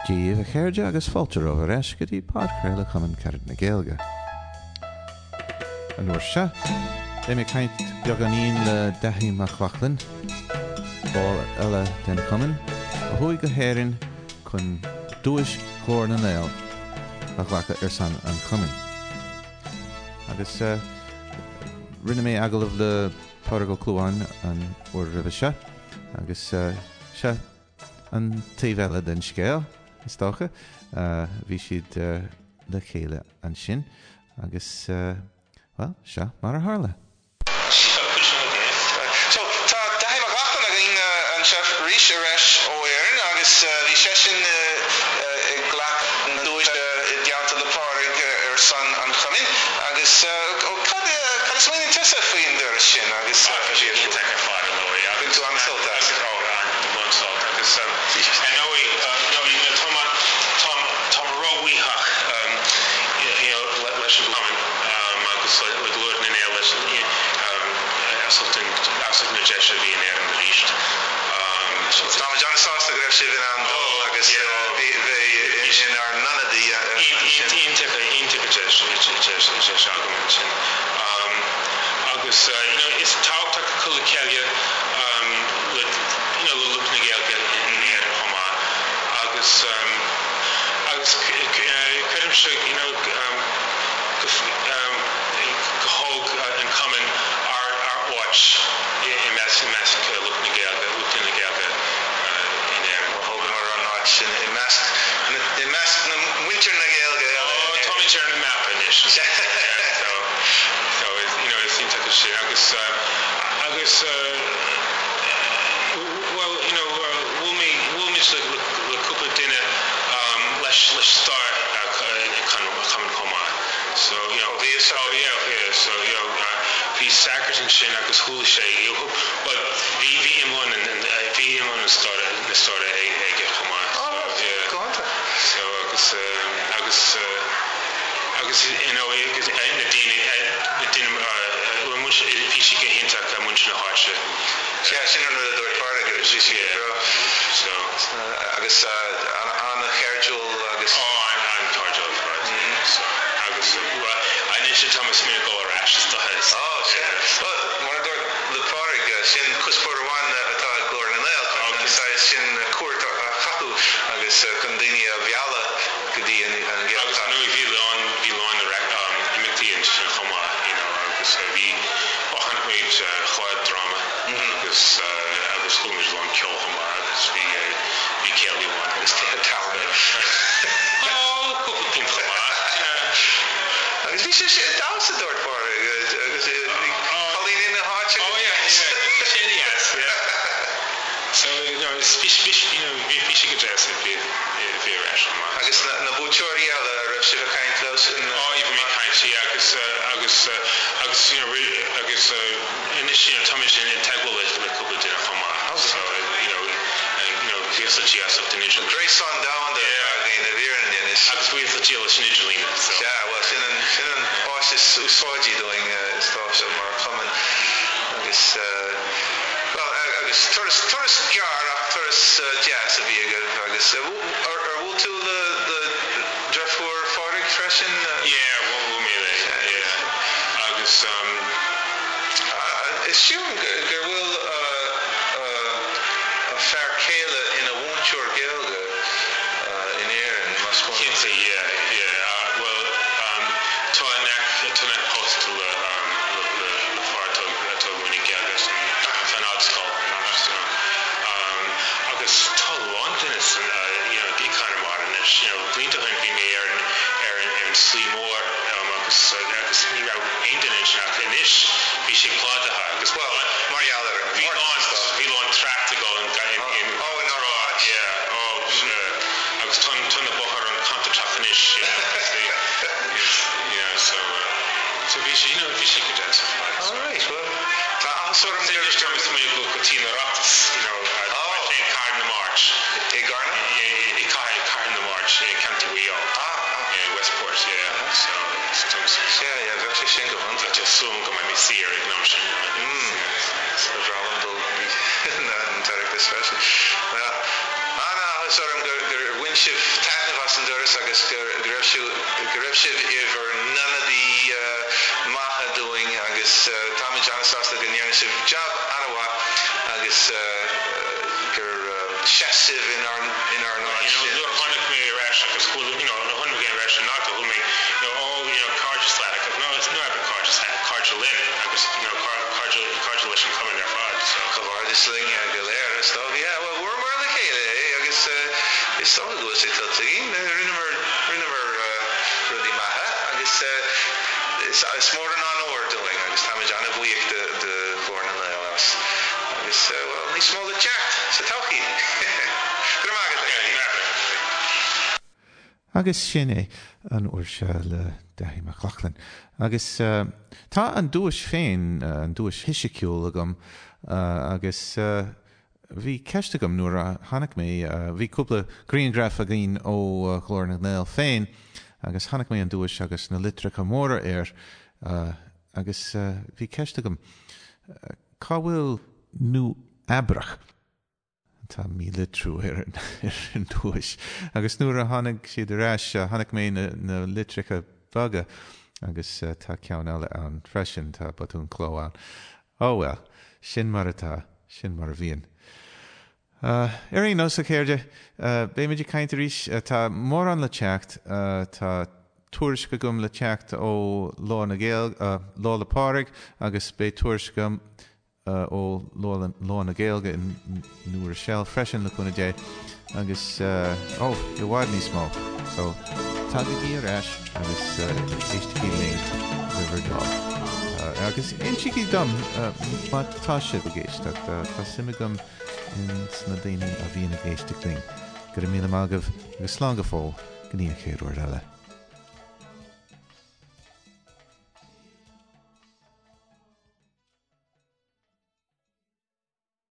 Dia dhaoibh a chairde agus fáilte romhaibh ar ais go dtí podchraoladh Chumann Carad na Gaeilge. An uair seo, beidh mé ag caint beagáinín le Daithí Mac Lochlainn, ball eile den chumann, a chuaigh go hÉirinn chun duais Ghlór na nGael a ghlacadh ar son an chumainn. Agus rinne mé agallamh le Pádraig Ó Clúmháin an uair roimhe seo agus seo an taobh eile den scéal, is dócha. Bhí siad le chéile ansin agus, bhuel, seo mar a tharla. So, tá Daithí Mac Lochlainn againn anseo arís ar ais ó Éirinn agus bhí seisean ag glacadh na duaise i dteannta le Pádraig ar son an chumainn agus cad cad a smaoiníonn tusa faoin dturas sin agus Ah, bhí sé iontach ar fad, ar ndóigh, Bhain agus tú an-sult as? Agus, oh, an-sult agus ar ndóigh, you know, tá mé, tá, tá mé róbhuíoch you know leis an gcumann agus le Glór na nGael leis as ucht an, as ucht na deise a bhí in Éirinn arís. So Táimid an-sásta go raibh sibh in ann dul agus bheith inár n-ionadaí ansin. Iontach, iontach deis, deis, deis agam ansin. Agus you know is tábhachtach cur le chéile le you know le lucht na Gaeilge in Éirinn chomh maith agus agus creidimse you know go go thóg an cumann ár ár áit i measc i measc lucht na Gaeilge lucht na Gaeilge in Éirinn. Thógamar ár n-áit i measc i measc na muintir na Gaeilge eile in Éirinn. Táimid ar an mapa anois. So so you know is iontach sin agus agus bhuel you know bhuail mé bhuail muid le le cúpla duine leis leis stair an chumainn chomh maith. So you know Ó bhí fhios oh agat. yeah yeah so you know bhí sagart ansin agus chuala sé you know bhuel bhí bhí iomlán bhí iomlán na staire na staire aige chomh maith. Ó So yeah. go hiontach. So agus agus agus you know agus na daoine na daoine bhuel muid bhí siad go hiontach muintir na háite. Sea, sin an rud a dúirt Pádraig agus bhí siad go breá. So. Agus an-chairdiúil agus. Ó, an-chairdiúil ar fad. So agus bhuel anois tá mé ag smaoineamh dul ar ais is dócha. Ó, sea. Bhuel, mar a dúirt le Pádraig, sin cuspóir amháin atá ag Glór na nGael, chun an saghas sin cuairt a chaitheamh agus chun daoine a mhealladh go dtí an Agus Ghaeltacht. ar ndóigh bhí lán, bhí lán imeachtaí ansin chomh maith, you know, agus bhí, bhuel chonaic muid chlár dráma agus agus chuala muid lán ceoil chomh maith agus bhí, bhí céilí amháin. Agus tithe tábhairne. Ó, cúpla pínt chomh maith, yeah. Agus bhí sé damhsa, dúirt Pádraig, agus bhí cailíní na háite Oh yeah, yeah, bhí sé ana-dheas, yeah. So, you know, bhí, bhí, you know, bhí sé go deas, bhí, bhí ar ais chomh maith. Agus na buaiteoirí eile, a raibh sibh ag caint leo sin? Ó, bhí mé ag caint, yeah, agus, agus, agus, you know, agus anois, you know, táimid i dteagmháil le, le cúpla duine chomh maith, so, you know, you know, buíochas le Dia as ucht an idirlíon. Gréasán domhanda atá againn i bhfírinne anois. Agus buíochas le Dia leis an idirlíon, so. Sea, bhuel, sin an, sin an áis is úsáidí dúinn, is dócha, mar chumann agus, bhuel, agus turas, turas gearr ach turas deas a bhí agaibh agus ar bhuail tú le, le deirfiúr Phádraig freisin? Yeah, bhuail mé léi, yeah. Agus. Is sílim gur bhfuil a fear céile ina mhúinteoir Gaeilge in Éirinn, más buan. Cinnte, yeah, yeah. Bhuel, tá a neacht, tá a neacht pósta le, le, le fear atá, atá ag múineadh Gaeilge san, san Ardscoil, so, agus tá a lán duine san, you know, i gConamara anois, you know, blianta ó shin bhí mé ar an, ar an, ar an tSlí Mhór, agus, agus ní raibh aon duine ansin ach anois bhí sé plódaithe agus Bhuel, mar gheall ar an bhí lán, bhí lán trácht ag dul in, in, in, Oh, inár áit. yeah, oh, sea. Agus tá, tá na bóithre an-chontúirteach anois, yeah, agus bhí, yeah, so, so bhí sé, you know, bhí sé go deas ar fad. All right, well, tá áthas orm So gur. anois tá mé ag smaoineamh dul go dtí an Oireachtas, you know, Oh. sé i Cathair na Mart. I gCarna? I Cathair, Cathair na Mart, i County Mhaigh Eo. Ah, ah. Yeah, Westport, yeah, so, so tá mé. Sea, yeah, bheadh sé sin go hiontach. Tá súil agam go mbeidh mé saor ag an am sin. Mm, ba bhreá liom dul go dtí an tOireachtas freisin. Well, an-áthas orm gur bhain. bhain sibh taitneamh as an dturas agus go raibh sibh, go raibh sibh i bhur n-ionadaí maithe dúinn agus táimid an-sásta go ndearna sibh jab an-mhaith agus gur sheas sibh inár inár n-áit You know, nuair a tháinig mé ar ais agus chuala, you know, nuair a tháinig mé ar ais in Alta, chuala mé, you know, all, you know, cairdeas leat agus no, it's not cairdeas leat, cairde linn agus, you know, cairde, cairde leis an cumann ar fad, so. Comhghairdeas linn go léir, is dócha. Yeah, bhuel, bhuamar le chéile é agus is dócha go bhfuil sé tuillte againn. Rinneamar, rinneamar rudaí maithe agus is mór an onóir dúinn agus táimid an-bhuíoch de, de Ghlór na nGael as. Agus, bhuel, níos mó le teacht sa todhchaí! Go raibh maith agat, a Dhaithí. Agus sin é an uair seo le Daithí Mac Lochlainn. Agus tá an duais féin, an duais fhisiciúil agam agus bhí ceist agam nuair a chonaic mé, bhí cúpla grianghraf againn ó Ghlór na nGael féin agus chonaic mé an duais agus na litreacha móra air agus bhí ceist agam, cá bhfuil Nua Eabrach? Tá mílitriú ar an duais. Agus nuair a tháinig siad ar ais, chonaic mé na litreacha beaga agus tá ceann eile ann freisin, tá botún cló ann. Ó bhuel, sin mar atá, sin mar a bhíonn. Ar aon nós, a chairde, beimid ag caint arís. Tá mórán le teacht. Tá tuairisc agam le teacht ó Lá na Gaeilge, Lá 'le Pádraig agus beidh tuairisc agam ó Lá na Gaeilge i New Rochelle freisin, le cúnamh Dé, agus ó, i bhfad níos mó. So, tagaigí ar ais agus éistigí linn le bhur dtoil. Agus insígí dom má tá sibh ag éisteacht, tá suim agam ins na daoine a bhíonn ag éisteacht linn. Go raibh míle maith agaibh agus slán go fóill go dtí an chéad uair eile.